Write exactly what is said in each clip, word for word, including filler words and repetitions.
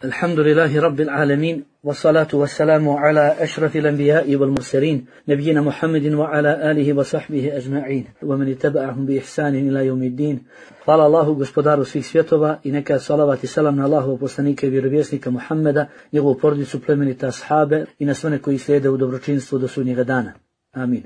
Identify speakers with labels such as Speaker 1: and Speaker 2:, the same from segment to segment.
Speaker 1: الحمد لله رب العالمين والصلاة والسلام على أشرف الأنبياء والمرسلين نبينا محمد وعلى آله وصحبه أجمعين ومن اتبعهم بإحسان إلى يوم الدين. Hvala Allahu, gospodaru svih svjetova, i neka salavat i salam na Allahovog poslanika i vjerovjesnika Muhammeda, njegovu porodicu, plemenite ashabe i na sve one koji slijede u dobročinstvu do sudnjega dana. Amin.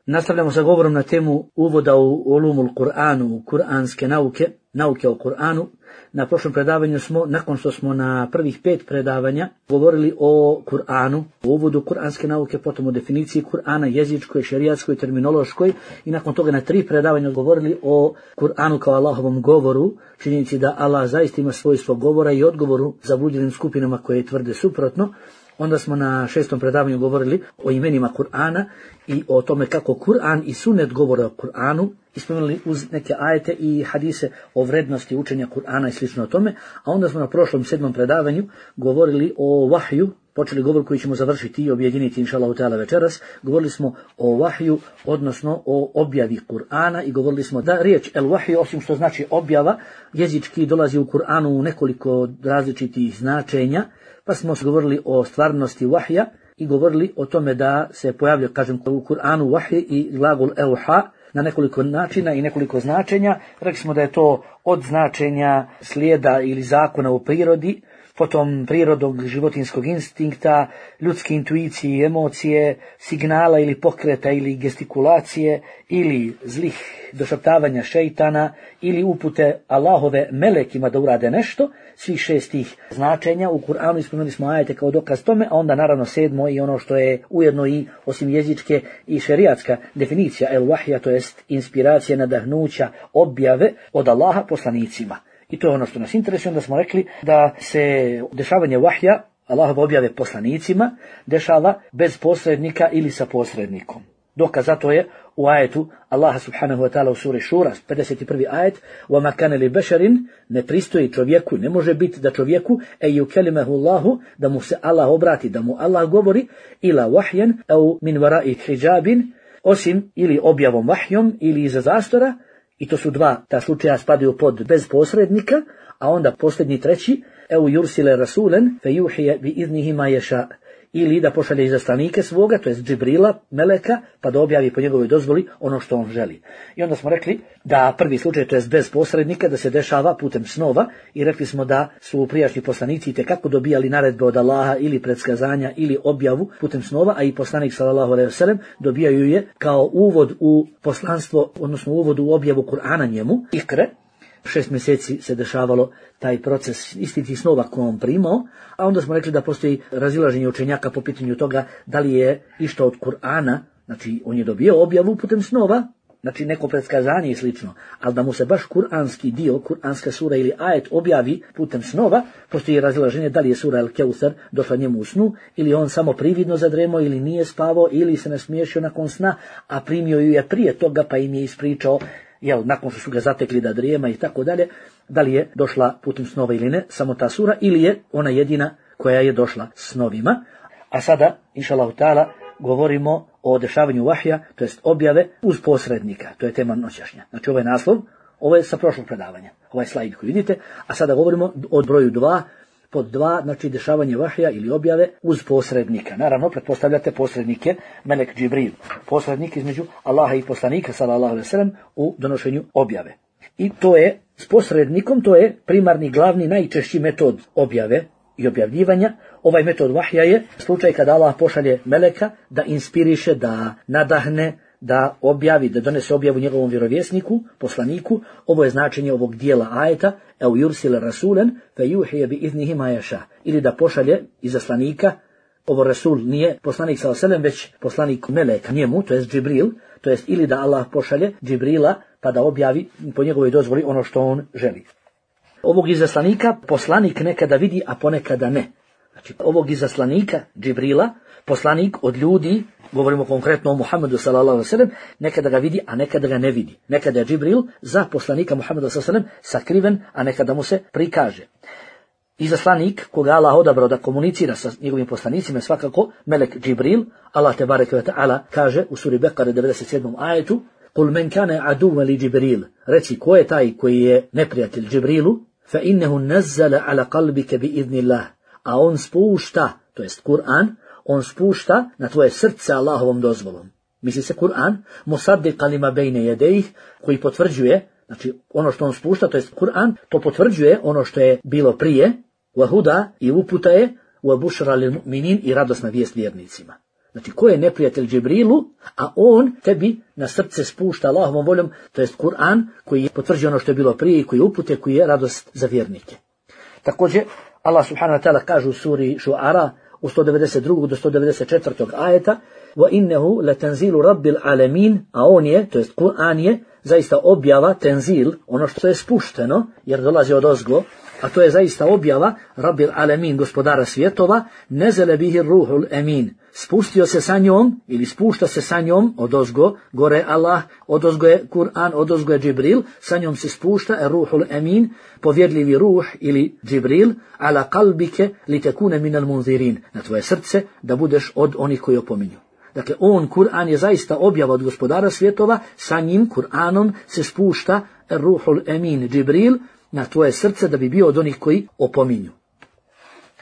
Speaker 1: Nastavljamo sa govorom na temu uvoda u ulumul Kur'anu, u kuranske nauke, nauke o Kur'anu. Na prošlom predavanju smo, nakon što smo na prvih pet predavanja govorili o Kur'anu, o uvodu kuranske nauke, potom o definiciji Kur'ana, jezičkoj, šerijatskoj, terminološkoj, i nakon toga na tri predavanja govorili o Kur'anu kao Allahovom govoru, činjenici da Allah zaista ima svojstvo govora i odgovoru zabludjenim skupinama koje tvrde suprotno. Onda smo na šestom predavanju govorili o imenima Kur'ana i o tome kako Kur'an i sunnet govore o Kur'anu, i spomenuli uz neke ajete i hadise o vrednosti učenja Kur'ana i slično o tome. A onda smo na prošlom sedmom predavanju govorili o vahju, počeli govor koji ćemo završiti i objediniti inšallahu ta'ala večeras. Govorili smo o vahju, odnosno o objavi Kur'ana, i govorili smo da riječ el vahju, osim što znači objava, jezički dolazi u Kur'anu u nekoliko različitih značenja. Pa smo govorili o stvarnosti vahja i govorili o tome da se pojavlja, kažem, u Kur'anu vahj i glagol euha na nekoliko načina i nekoliko značenja. Rekli smo da je to od značenja slijeda ili zakona u prirodi, potom prirodnog životinskog instinkta, ljudske intuicije i emocije, signala ili pokreta ili gestikulacije, ili zlih došaptavanja šeitana, ili upute Allahove melekima da urade nešto. Svih šestih značenja u Kur'anu ispomenuli smo ajete kao dokaz tome, a onda naravno sedmo i ono što je ujedno i osim jezičke i šerijatska definicija el vahja, to jest inspiracija, nadahnuća, objave od Allaha poslanicima. I to je ono što nas interesuje. Onda smo rekli da se dešavanje vahja, Allahove objave poslanicima, dešava bez posrednika ili sa posrednikom. Dokaz za to je u ajetu Allaha subhanahu wa ta'ala u suri Šura, pedeset prvi ajet: وَمَا كَانَ لِبَشَرٍ, ne pristoji čovjeku, ne može biti da čovjeku e yukelimehu Allahu, da mu se Allah obrati, da mu Allah govori, ila wahjan au min wara'i hijabin, osim ili objavom vahjom ili iza zastora. I to su dva ta slučaja, spadaju pod bez posrednika. A onda posljednji treći, eu yursile rasulen fe yuhije bi iznihi ma ješa, ili da pošalje izaslanike svoga, to jest Džibrila, meleka, pa da objavi po njegovoj dozvoli ono što on želi. I onda smo rekli da prvi slučaj, to jest bez posrednika, da se dešava putem snova, i rekli smo da su prijašnji poslanici itekako dobijali naredbe od Allaha ili predskazanja ili objavu putem snova, a i poslanik sallallahu alejhi ve sellem dobijaju je kao uvod u poslanstvo, odnosno uvod u objavu Kur'ana njemu, ikre. Šest mjeseci se dešavalo taj proces istih snova koje on primao, a onda smo rekli da postoji razilaženje učenjaka po pitanju toga da li je išta od Kur'ana, znači on je dobio objavu putem snova, znači neko predskazanje i slično, ali da mu se baš kuranski dio, kuranska sura ili ajet objavi putem snova, postoji razilaženje da li je sura El Keuser došla njemu u snu, ili on samo prividno zadremao, ili nije spavao, ili se nasmiješio nakon sna, a primio ju je prije toga pa im je ispričao, jel, nakon što su ga zatekli da drijema i tako dalje, da li je došla putem snova ili ne, samo ta sura, ili je ona jedina koja je došla snovima. A sada, inšallahu ta'ala, govorimo o dešavanju vahja, to jest objave uz posrednika. To je tema noćašnja. Znači ovaj naslov, ovo je sa prošlog predavanja, ovaj slajd koji vidite, a sada govorimo o broju dva, pod dva, znači dešavanje vahja ili objave uz posrednika. Naravno, pretpostavljate posrednike melek Džibril, posrednik između Allaha i poslanika sallallahu alejhi ve sellem u donošenju objave. I to je, s posrednikom, to je primarni, glavni, najčešći metod objave i objavljivanja. Ovaj metod vahja je slučaj kada Allah pošalje meleka da inspiriše, da nadahne, da objavi, da donese objavu njegovom vjerovjesniku, poslaniku. Ovo je značenje ovog dijela ajeta, eu yursile rasulen fe yuhije bi iznihi ma ješa, ili da pošalje izaslanika. Ovo rasul nije poslanik sallallahu alejhi ve sellem, već poslanik meleka njemu, to jest Džibril, to jest ili da Allah pošalje Džibrila pa da objavi po njegovoj dozvoli ono što on želi. Ovog izaslanika poslanik nekada vidi, a ponekada ne. Znači, ovog izaslanika Džibrila, poslanik od ljudi, govorimo konkretno o Muhammedu sallallahu alejhi ve sellem, nekada ga vidi, a nekada ga ne vidi. Nekada je Džibril za poslanika Muhammeda sallallahu alejhi ve sellem sakriven, a nekada mu se prikaže. Izaslanik koga Allah odabrao da komunicira sa njegovim poslanicima, svakako melek Džibril. Allah te bareke ve taala kaže u suri Bekare devedeset sedmom ajetu: "Kul men kana aduwwan li Džibril", reci ko je taj koji je neprijatelj Džibrilu, fa innehu nazzala ala qalbika bi idnillah, a on spušta, to jest Kur'an, on spušta na tvoje srce Allahovom dozvolom. Misli se Kur'an, musaddiqan lima bejne jedejih, koji potvrđuje, znači ono što on spušta, to jest Kur'an, to potvrđuje ono što je bilo prije, wa huda i uputa je, wa bušra lil mu'minin i radosna vijest vjernicima. Znači, ko je neprijatelj Džibrilu, a on tebi na srce spušta Allahovom voljom, to jest Kur'an, koji je potvrđuje ono što je bilo prije i koji je upute, koji je radost za vjernike. Također, Allah subhanahu wa ta'ala kaže u suri Šuara, u sto devedeset drugom do sto devedeset četvrtog ajeta, wa innehu la tanzilu rabbil alamin, a on je, to jest Kur'an je, zaista objava, tenzil, ono što je spušteno, jer dolazi od ozgo, a to je zaista objava rabbil alamin, gospodara svjetova, nezele bihi ruhul emin, spustio se sa njom, ili spušta se sa njom, od ozgo, gore Allah, od ozgo je Kur'an, od ozgo je Džibril, sa njom se spušta ruhul emin, povjerljivi ruh ili Džibril, ala kalbike li tekune minal munzirin, na tvoje srce, da budeš od onih koji opominju. Dakle, on, Kur'an, je zaista objava od gospodara svjetova, sa njim, Kur'anom, se spušta ruhul emin, Džibril, na tvoje srce, da bi bio od onih koji opominju.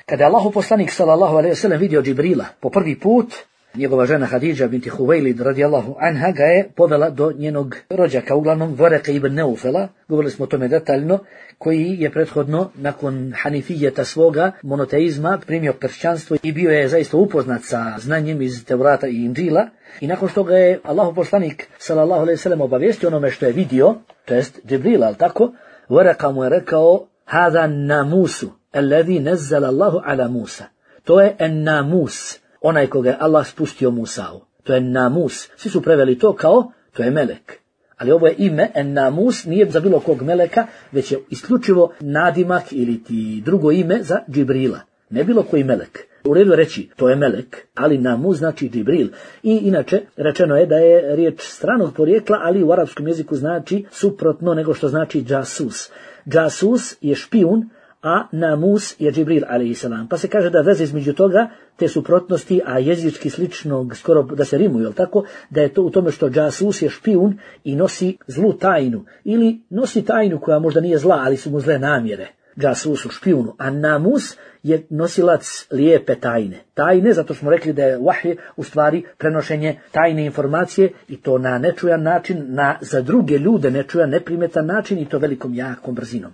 Speaker 1: Kada je Allahu poslanik sallallahu alejhi ve sellem vidio Džibrila po prvi put, njegova žena Hadidža binti Huvejlid radijallahu anha ga je povela do njenog rođaka, uglavnom Varaka ibn Neufela, govorili smo o tome detaljno, koji je prethodno nakon hanifijeta svoga monoteizma primio kršćanstvo i bio je zaista upoznat sa znanjem iz Tevrata i Inđila, i nakon što ga je Allahu poslanik sallallahu alejhi ve sellem obavijestio onome što je vidio, to jest Džibrila, al tako, Varaka mu je rekao: "Hada namusu alladhi nazzala Allahu ala Musa." To je en namus, onaj koga je Allah spustio Musa'u. To je namus. Svi su preveli to kao, to je melek. Ali ovo je ime, en namus, nije za bilo kog meleka, već je isključivo nadimak ili ti drugo ime za Džibrila. Ne bilo koji melek. U redu reći, to je melek, ali namus znači Džibril. I inače, rečeno je da je riječ stranog porijekla, ali u arapskom jeziku znači suprotno nego što znači džasus. Džasus je špijun, a namus je Džibril alejhi Pa se kaže da veze između toga, te suprotnosti, a jezički sličnog, skoro da se rimuju, jel tako, da je to u tome što džasus je špijun i nosi zlu tajnu, ili nosi tajnu koja možda nije zla, ali su mu zle namjere. Džasus u špijunu, a namus je nosilac lijepe tajne. Tajne, zato smo rekli da je vahij u stvari prenošenje tajne informacije, i to na nečujan način, na za druge ljude nečujan, neprimetan način, i to velikom jakom brzinom.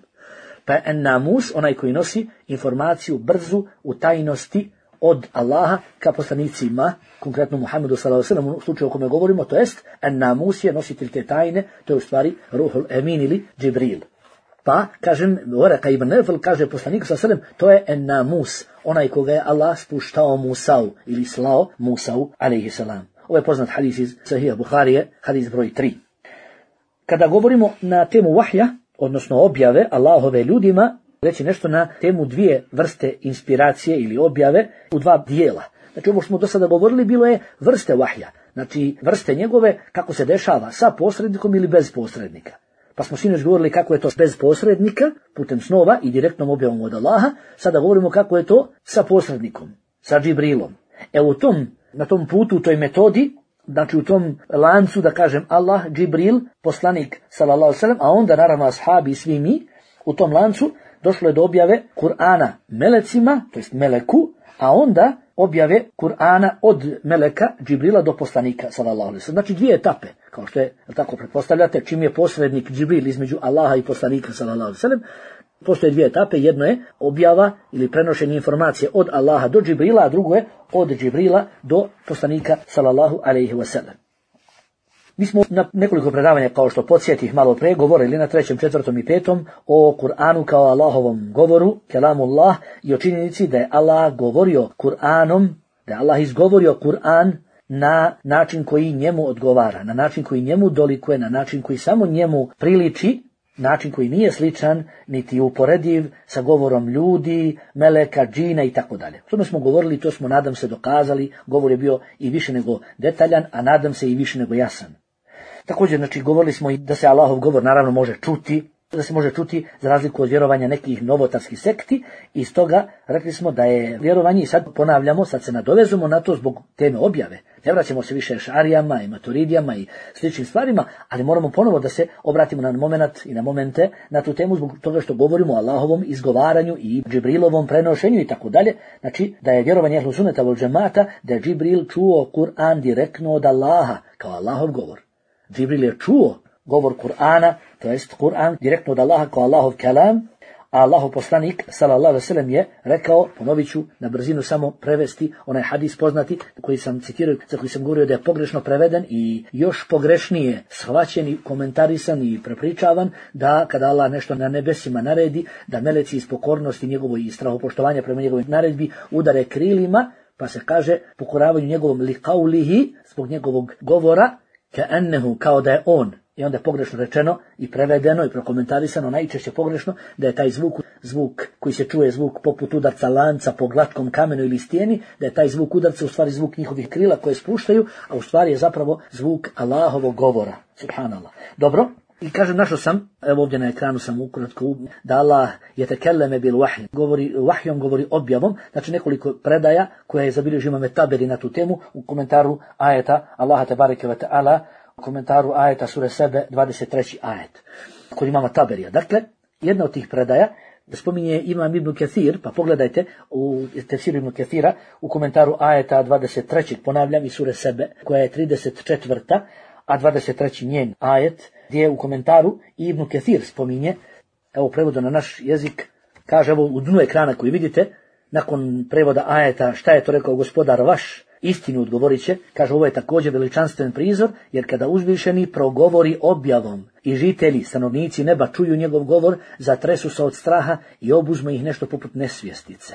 Speaker 1: Pa je namus onaj koji nosi informaciju brzu u tajnosti od Allaha ka poslanicima, konkretno Muhammedu sallallahu alejhi ve sellem, u slučaju o kome govorimo, to jest namus je nositelj te tajne, to je u stvari ruhul emin ili Džibril. Pa, kažem, Varaka ibn Neufel kaže poslaniku sallallahu alejhi ve sellem, to je namus, onaj koga je Allah spuštao Musa'u ili slao Musa'u alejhi selam. Ovo je poznat hadis iz Sahih Buharije, hadis broj tri. Kada govorimo na temu vahja, odnosno objave Allahove ljudima, reći nešto na temu dvije vrste inspiracije ili objave u dva dijela. Znači, ovo što smo do sada govorili bilo je vrste vahja, znači vrste njegove, kako se dešava sa posrednikom ili bez posrednika. Pa smo sinoć govorili kako je to bez posrednika, putem snova i direktnom objavom od Allaha, sada govorimo kako je to sa posrednikom, sa Džibrilom. E u tom, na tom putu, u toj metodi, znači u tom lancu, da kažem, Allah, Džibril, poslanik sallallahu alejhi ve sellem, a onda naravno ashabi i svi mi, u tom lancu došlo je do objave Kur'ana melecima, to jest meleku, a onda objave Kur'ana od meleka Džibrila do poslanika sallallahu alejhi ve sellem. Znači dvije etape, kao što je, tako pretpostavljate, čim je posrednik Džibril između Allaha i poslanika sallallahu alejhi ve sellem, postoje dvije etape, jedno je objava ili prenošenje informacije od Allaha do Džibrila, a drugo je od Džibrila do poslanika sallallahu alejhi ve sellem. Mi smo na nekoliko predavanja, kao što podsjetih malo pre, govorili na trećem, četvrtom i petom o Kur'anu kao Allahovom govoru, kelamullah, i o činjenici da je Allah govorio Kur'anom, da je Allah izgovorio Kur'an na način koji njemu odgovara, na način koji njemu dolikuje, na način koji samo njemu priliči, način koji nije sličan, niti uporediv sa govorom ljudi, meleka, džina i tako dalje. O tome smo govorili, to smo, nadam se, dokazali, govor je bio i više nego detaljan, a nadam se i više nego jasan. Također, znači, govorili smo i da se Allahov govor naravno može čuti, da se može čuti za razliku od vjerovanja nekih novotarskih sekti i stoga rekli smo da je vjerovanje i sad ponavljamo, sad se nadovezujemo na to zbog teme objave. Ne vraćamo se više šarijama i maturidijama i sličnim stvarima, ali moramo ponovo da se obratimo na moment i na momente na tu temu zbog toga što govorimo o Allahovom izgovaranju i Džibrilovom prenošenju i tako dalje. Znači da je vjerovanje ehlu sunneta vel džemata da je Džibril čuo Kur'an direktno od Allaha kao Allahov govor. Džibril je čuo govor Kur'ana, to jest Kur'an direktno od Allaha kao Allahov kelam, a Allahov poslanik sallallahu alejhi ve sellem je rekao, ponovit ću na brzinu samo prevesti onaj hadis poznati koji sam citirao, za koji sam govorio da je pogrešno preveden i još pogrešnije shvaćen i komentarisan i prepričavan, da kada Allah nešto na nebesima naredi, da meleci iz pokornosti njegovoj i strahopoštovanja prema njegovoj naredbi udare krilima, pa se kaže pokoravanju njegovom liqaulihi, zbog njegovog govora, ka'annahu, kao da je on. I onda je pogrešno rečeno i prevedeno i prokomentarisano, najčešće pogrešno, da je taj zvuk, zvuk koji se čuje, zvuk poput udarca lanca po glatkom kamenu ili stijeni, da je taj zvuk udarca u stvari zvuk njihovih krila koje spuštaju, a u stvari je zapravo zvuk Allahovog govora. Subhanallah. Dobro. I kažem, našao sam, evo ovdje na ekranu sam ukratko, da Allah je tekelleme bil vahj, govori vahjom, govori objavom, znači nekoliko predaja koje je zabilježio Imam Taberi na tu temu u komentaru ajeta Allaha tebareke ve taala, u komentaru ajeta sure Sebe, dvadeset treći ajet, kod imama Taberija. Dakle, jedna od tih predaja spominje Imam Ibn Kathir, pa pogledajte u tefsiru Ibn Kathira, u komentaru ajeta dvadeset trećeg, ponavljam, i sure Sebe, koja je trideset četvrta, a dvadeset treći njen ajet, gdje u komentaru Ibn Kathir spominje, evo prevodu na naš jezik, kaže, evo u dnu ekrana koji vidite, nakon prevoda ajeta šta je to rekao gospodar vaš, istinu odgovorit će, kaže, ovo je također veličanstven prizor, jer kada uzvišeni progovori objavom i žitelji, stanovnici neba čuju njegov govor, zatresu se od straha i obuzme ih nešto poput nesvjestice.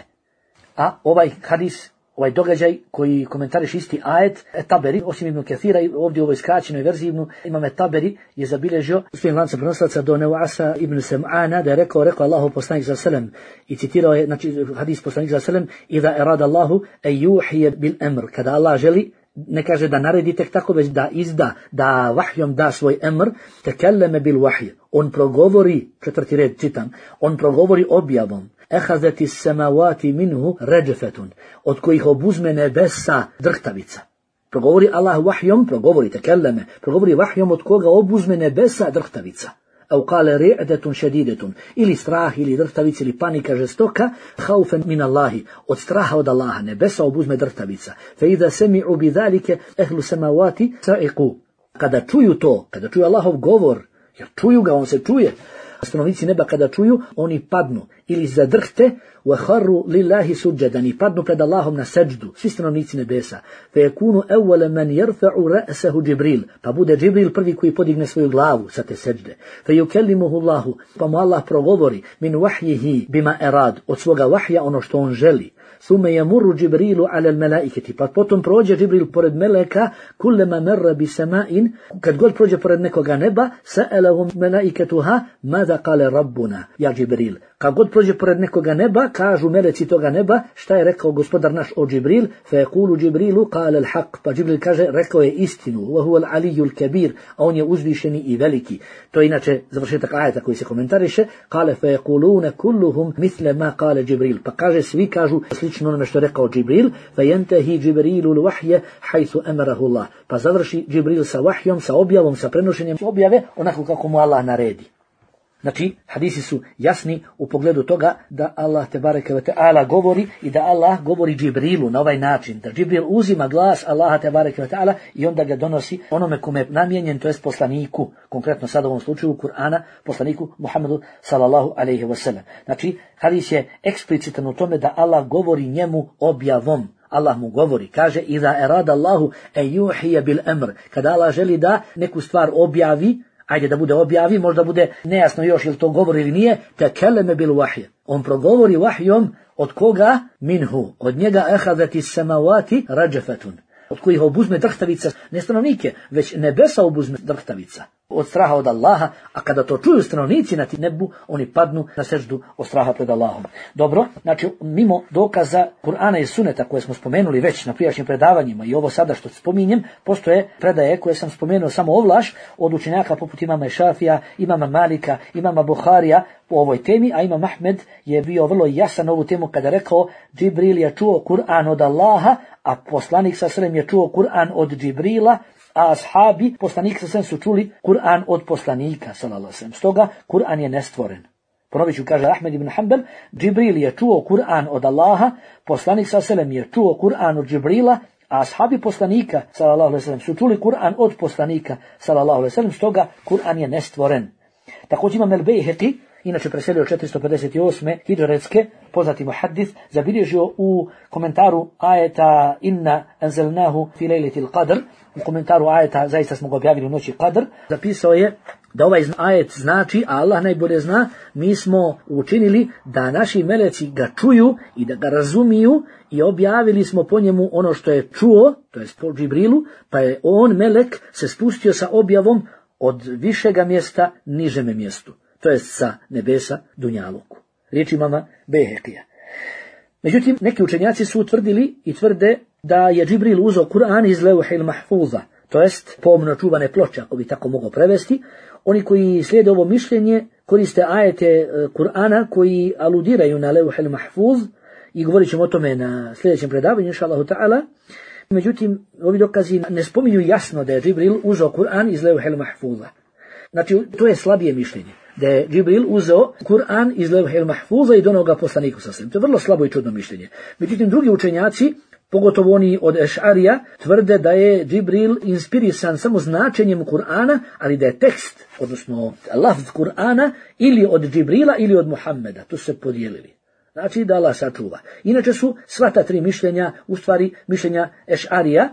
Speaker 1: A ovaj hadis, ovaj događaj koji komentariš isti ajet, Taberi, osim Ibn Kathira, ovdje u ovoj skraćenoj verziji Ibn, Imam Taberi je zabilježio svojim lancem prenosilaca do Nevasa ibn Sam'ana, da je rekao, rekao Allahu poslanik sallallahu alejhi ve sellem, i citirao je, znači hadis poslanik sallallahu alejhi ve sellem, idha erada Allahu an yuhiya bil amr, kada Allah želi, ne kaže da naredi tek tako, već da izda, da vahjom da svoj emr, tekelleme bil vahj, on progovori, četvrti red čitam, on progovori objavom, ehazeti samavati minhu ređefetun, od kojih obuzme nebesa drhtavica. Progovori Allah vahjom, progovori tekelleme, progovori vahjom od koga obuzme nebesa drhtavica. Au kale ri'detun šedidetun, ili strah, ili drhtavica, ili panika žestoka, haufen min Allahi, od straha od Allaha, nebesa obuzme drhtavica. Fe idha semi'u bidhalike ehlu samavati sa'iku. Kada čuju to, kada čuju Allahov govor, jer čuju ga, on se čuje, stanovnici neba kada čuju, oni padnu ili zadrhte, wa kharru lillahi sujadan, i padnu pred Allahom na seđdu, svi stanovnici nebesa. Fe yakunu awwala man yarfa'u ra'sahu Džibril, pa bude Džibril prvi koji podigne svoju glavu sa te seđde. Fe yukellimuhu Allahu, pa mu Allah progovori min wahyihi bima erad, od svoga vahja ono što on želi. Thume yamurru Džibrilu ala al-malaikati, pa potom prođe Džibril pored meleka, kullama marra bi sama'in, kad god prođe pored nekoga neba, sa'alahum malaikatuha mada qala rabbuna ja Džibril. Kad god prođe pored nekoga neba, kažu meleci toga neba, šta je rekao gospodar naš o Džibril, fa yaqulu Džibrilu qala al-haq, pa Džibril kaže, rekao je istinu, wa huwa al-aliyyu al-kabir, a on je uzvišeni i veliki. To je inače završetak ajeta koji se komentariše, qala fa yaquluna kulluhum mithla ma qala Džibril, pa kaže, svi kažu slično onome što je rekao Džibril, fa yantahi Džibrilu al-wahya haythu amarahu Allah, pa završi Džibril sa vahjom, sa objavom, sa prenošenjem objave, onako kako mu Allah naredi. Znači, hadisi su jasni u pogledu toga da Allah tebareke ve taala govori i da Allah govori Džibrilu na ovaj način, da Džibril uzima glas Allaha tebareke ve taala i onda ga donosi onome kome je namijenjen, to jest poslaniku, konkretno sad u ovom slučaju Kur'ana, poslaniku Muhammedu sallallahu alejhi ve sellem. Znači, hadis je eksplicitan u tome da Allah govori njemu objavom. Allah mu govori, kaže, iza erada Allahu an yuhiya bil amr, kada Allah želi da neku stvar objavi, ajde da bude objavi, možda bude nejasno još ili to govori ili nije, tekelleme bil vahje. On progovori vahjom od koga? Minhu. Od njega ehadati samavati rađefetun. Od kojih obuzme drhtavica, ne stanovnike, već nebesa obuzme drhtavica. od straha od Allaha, a kada to čuju stanovnici na nebu, oni padnu na seždu od straha pred Allahom. Dobro, znači mimo dokaza Kur'ana i Suneta koje smo spomenuli već na prijašnjim predavanjima i ovo sada što spominjem, postoje predaje koje sam spomenuo samo ovlaš od učenjaka poput imama Šafija, imama Malika, imama Buharija po ovoj temi, a imam Ahmed je bio vrlo jasan ovu temu kada rekao Džibril je čuo Kur'an od Allaha, a poslanik sa srem je čuo Kur'an od Džibrila, a ashabi, poslanik sa srem su čuli Kur'an od poslanika, sallallahu alejhi ve sellem. Stoga Kur'an je nestvoren. Ponovit ću, kaže Ahmed ibn Hanbal, Džibril je čuo Kur'an od Allaha, poslanik sa srem je čuo Kur'an od Džibrila, a ashabi poslanika, sallallahu alejhi ve sellem, su čuli Kur'an od poslanika, sallallahu alejhi ve sellem. Stoga Kur'an je nestvoren. Također imam el-Bejheqi, inače preselio četiristo pedeset osme hidžretske, poznati muhaddis, zabilježio u komentaru ajeta Inna anzalnahu fi lejletil qadr, u komentaru ajeta zaista smo ga objavili u noći Qadr, zapisao je da ovaj ajet znači, a Allah najbolje zna, mi smo učinili da naši meleci ga čuju i da ga razumiju i objavili smo po njemu ono što je čuo, to jest po Džibrilu, pa je on, melek, se spustio sa objavom od višega mjesta nižeme mjestu, to jest sa nebesa dunjaluku. Riječ imama Bejheqija. Međutim, neki učenjaci su utvrdili i tvrde da je Džibril uzeo Kur'an iz Levhil Mahfuza, to jest pomno čuvane ploče, ako bi tako mogao prevesti. Oni koji slijede ovo mišljenje koriste ajete Kur'ana koji aludiraju na Levhil Mahfuz i govorit ćemo o tome na sljedećem predavanju, inšallahu ta'ala. Međutim, ovi dokazi ne spominju jasno da je Džibril uzeo Kur'an iz Levhil Mahfuza. Znači, to je slabije mišljenje, da je Džibril uzeo Kur'an iz Levhil Mahfuza i donio ga poslaniku sa srem. To je vrlo slabo i čudno mišljenje. Međutim, drugi učenjaci, pogotovo oni od Eš'arija, tvrde da je Džibril inspirisan samo značenjem Kur'ana, ali da je tekst, odnosno lafz Kur'ana, ili od Džibrila ili od Muhammeda. Tu su se podijelili. Znači da Allah sačuva. Inače su sva ta tri mišljenja, u stvari mišljenja Eš'arija,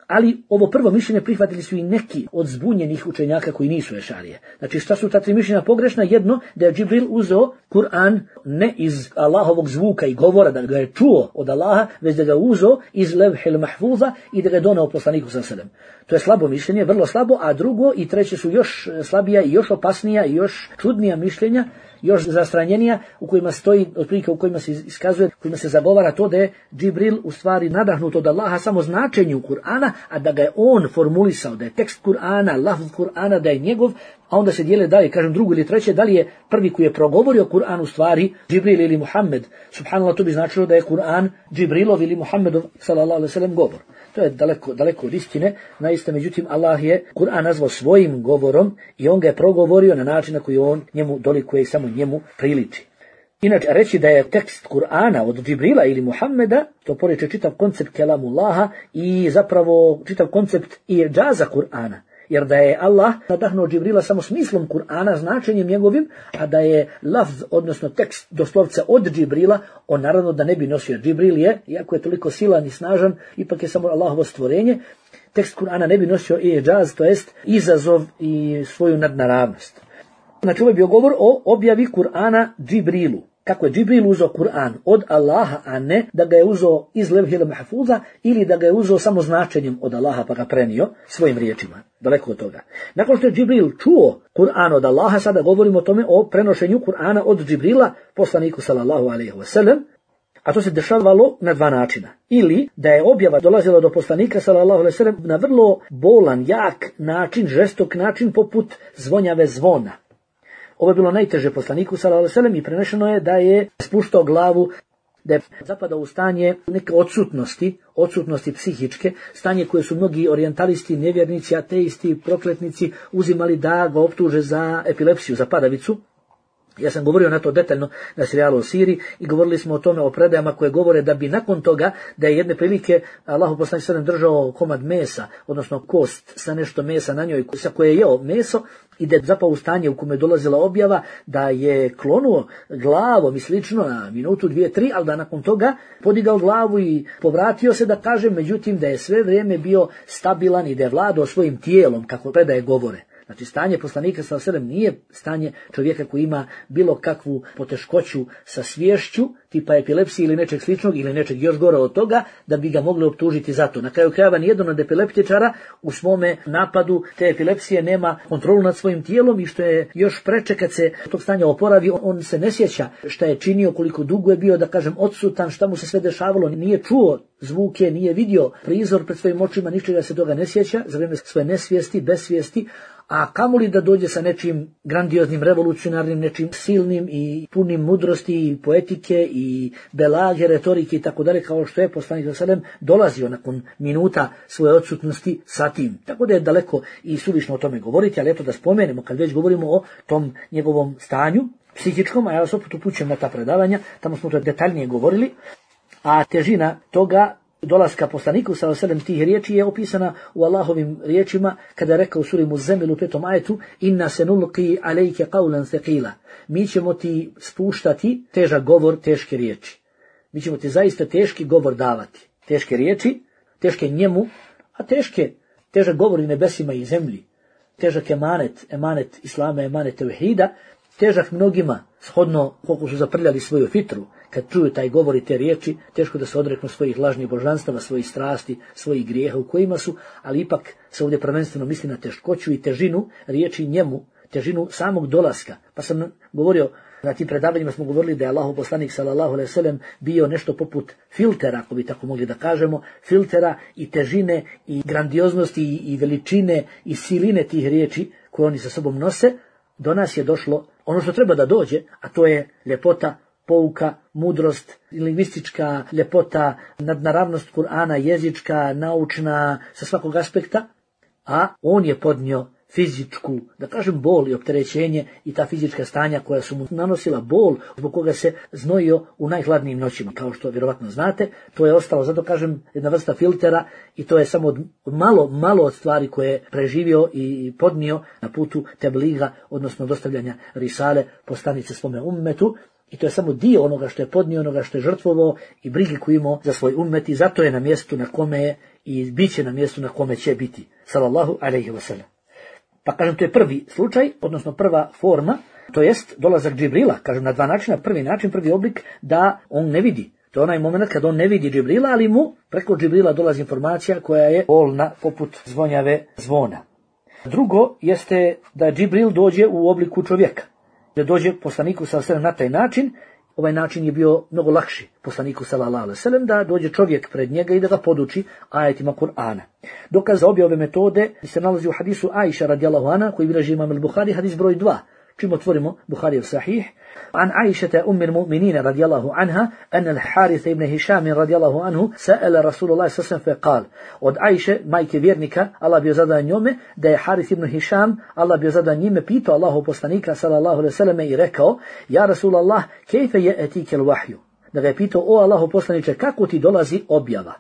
Speaker 1: ali ovo prvo mišljenje prihvatili su i neki od zbunjenih učenjaka koji nisu Eš'arije. Znači šta su ta tri mišljenja pogrešna? Jedno, da je Džibril uzeo Kur'an ne iz Allahovog zvuka i govora, da ga je čuo od Allaha, već da ga uzeo iz Levhil Mahfuza i da ga je doneo poslaniku sa selem. To je slabo mišljenje, vrlo slabo, a drugo i treće su još slabija i još opasnija i još čudnija mišljenja, još zastranjenija, u kojima stoji, otprilike u kojima se iskazuje, u kojima se zagovara to da je Džibril u stvari nadahnut od Allaha samo značenju Kur'ana, a da ga je on formulisao, da je tekst Kur'ana, lafz Kur'ana, da je njegov, a onda se dijele dalje, kažem drugo ili treće, da li je prvi koji je progovorio Kur'an u stvari Džibril ili Muhammed. Subhanallah, to bi značilo da je Kur'an Džibrilov ili Muhammedov sallallahu alejhi ve sellem govor. To je daleko, daleko od istine, naista, međutim Allah je Kur'an nazvao svojim govorom i on ga je progovorio na način na koji on njemu dolikuje i samo njemu priliči. Inače, reći da je tekst Kur'ana od Džibrila ili Muhammeda, to poriče čitav koncept kelamullaha i zapravo čitav koncept i džaza Kur'ana. Jer da je Allah nadahnuo Džibrila samo smislom Kur'ana, značenjem njegovim, a da je lafz, odnosno tekst doslovce od Džibrila, on naravno da ne bi nosio. Džibril je, iako je toliko silan i snažan, ipak je samo Allahovo stvorenje, tekst Kur'ana ne bi nosio i džaz, to jest izazov i svoju nadnaravnost. Znači, ovo je bio govor o objavi Kur'ana Džibrilu. Kako je Džibril uzeo Kur'an od Allaha, a ne da ga je uzeo iz Levhil Mahfuza ili da ga je uzeo samo značenjem od Allaha pa ga prenio svojim riječima. Daleko od toga. Nakon što je Džibril čuo Kur'an od Allaha, sada govorimo o tome o prenošenju Kur'ana od Džibrila poslaniku sallallahu alejhi ve sellem, a to se dešavalo na dva načina. Ili da je objava dolazila do poslanika sallallahu alejhi ve sellem na vrlo bolan, jak način, žestok način poput zvonjave zvona. Ovo je bilo najteže poslaniku sallallahu alejhi ve sellem i prenešeno je da je spuštao glavu, da je zapadao u stanje neke odsutnosti, odsutnosti psihičke, stanje koje su mnogi orijentalisti, nevjernici, ateisti, prokletnici uzimali da ga optuže za epilepsiju, za padavicu. Ja sam govorio na to detaljno na serijalu o Siriji i govorili smo o tome, o predajama koje govore da bi nakon toga, da je jedne prilike Allahu poslanik sallallahu alejhi ve sellem držao komad mesa, odnosno kost sa nešto mesa na njoj, sa koje je jeo meso, i da je zapao u stanje u kome je dolazila objava, da je klonuo glavom i slično na minutu, dvije, tri, ali da nakon toga podigao glavu i povratio se, da kažem, međutim da je sve vrijeme bio stabilan i da je vladao svojim tijelom, kako predaje govore. Znači stanje poslanika sallallahu alejhi ve sellem nije stanje čovjeka koji ima bilo kakvu poteškoću sa sviješću, tipa epilepsije ili nečeg sličnog ili nečeg još gore od toga, da bi ga mogli optužiti za to. Na kraju krajeva nijedan od epileptičara u svome napadu te epilepsije nema kontrolu nad svojim tijelom i što je još preče kad se tog stanja oporavi, on se ne sjeća šta je činio, koliko dugo je bio, da kažem, odsutan, šta mu se sve dešavalo, nije čuo zvuke, nije vidio prizor pred svojim očima, ničega se toga ne sjeća za vrijeme svoje nesvijesti, besvijesti, a kamoli da dođe sa nečim grandioznim, revolucionarnim, nečim silnim i punim mudrosti i poetike i belage, retorike i tako dalje, kao što je poslanik sallallahu alejhi ve sellem dolazio nakon minuta svoje odsutnosti sa tim. Tako da je daleko i suvišno o tome govoriti, ali eto da spomenemo, kad već govorimo o tom njegovom stanju psihičkom, a ja vas opet upućujem na ta predavanja, tamo smo to detaljnije govorili, a težina toga dolaska poslaniku sallallahu alejhi ve sellem tih riječi je opisana u Allahovim riječima kada je rekao u suri Muzzemil u petom ajetu: inna sanulqi alayka qawlan thaqila. Mi ćemo ti spuštati težak govor, teške riječi. Mi ćemo ti zaista teški govor davati. Teške riječi, teške njemu, a teške, težak govor i nebesima i zemlji. Težak emanet, emanet islama, emanet tevhida, težak mnogima, shodno koliko su zaprljali svoju fitru. Kad čuju taj govor i te riječi, teško da se odreknu svojih lažnih božanstava, svojih strasti, svojih grijeha u kojima su, ali ipak se ovdje prvenstveno misli na teškoću i težinu riječi njemu, težinu samog dolaska. Pa sam govorio, na tim predavanjima smo govorili da je Allahov poslanik sallallahu alejhi ve sellem bio nešto poput filtera, ako bi tako mogli da kažemo, filtera i težine i grandioznosti i veličine i siline tih riječi koje oni sa sobom nose. Do nas je došlo ono što treba da dođe, a to je ljepota, pouka, mudrost, lingvistička ljepota, nadnaravnost Kur'ana, jezička, naučna, sa svakog aspekta, a on je podnio fizičku, da kažem, bol i opterećenje i ta fizička stanja koja su mu nanosila bol, zbog koga se znojio u najhladnijim noćima, kao što vjerovatno znate. To je ostalo, zato kažem, jedna vrsta filtera i to je samo od malo, malo od stvari koje je preživio i podnio na putu tebliga, odnosno dostavljanja risale, poslanice svome ummetu. I to je samo dio onoga što je podnio, onoga što je žrtvovao i brige koju imao za svoj ummet i zato je na mjestu na kome je i bit će na mjestu na kome će biti. Sallallahu alejhi ve sellem. Pa kažem, to je prvi slučaj, odnosno prva forma, to jest dolazak Džibrila, kažem na dva načina. Prvi način, prvi oblik, da on ne vidi. To je onaj moment kad on ne vidi Džibrila, ali mu preko Džibrila dolazi informacija koja je bolna poput zvonjave zvona. Drugo jeste da Džibril dođe u obliku čovjeka. Da dođe poslaniku sallallahu alejhi ve sellem na taj način. Ovaj način je bio mnogo lakši poslaniku sallallahu alejhi ve sellem, da dođe čovjek pred njega i da ga poduči ajetima Kur'ana. Dokaz za obje ove metode se nalazi u hadisu Ajša radijallahu anha koji bilježi imam al-Buhari, hadis broj dva. Čim otvorimo Buharijev sahih, an Aishata ummi al-mu'minin radijallahu anha, an al-Harith ibn Hisham radijallahu anhu sa'ala Rasulullah sallallahu alejhi ve sellem, od Ajše, majke vjernika, Allah bio zadan njome, da je Harith ibn Hisham, Allah bio zadan njime, pitao Allahov poslanika sallallahu alejhi ve sellem i rekao: ja Rasulallah, kejfe ya'tika al-wahyu? Da ga je pitao: o Allahov poslaniče, kako ti dolazi objava?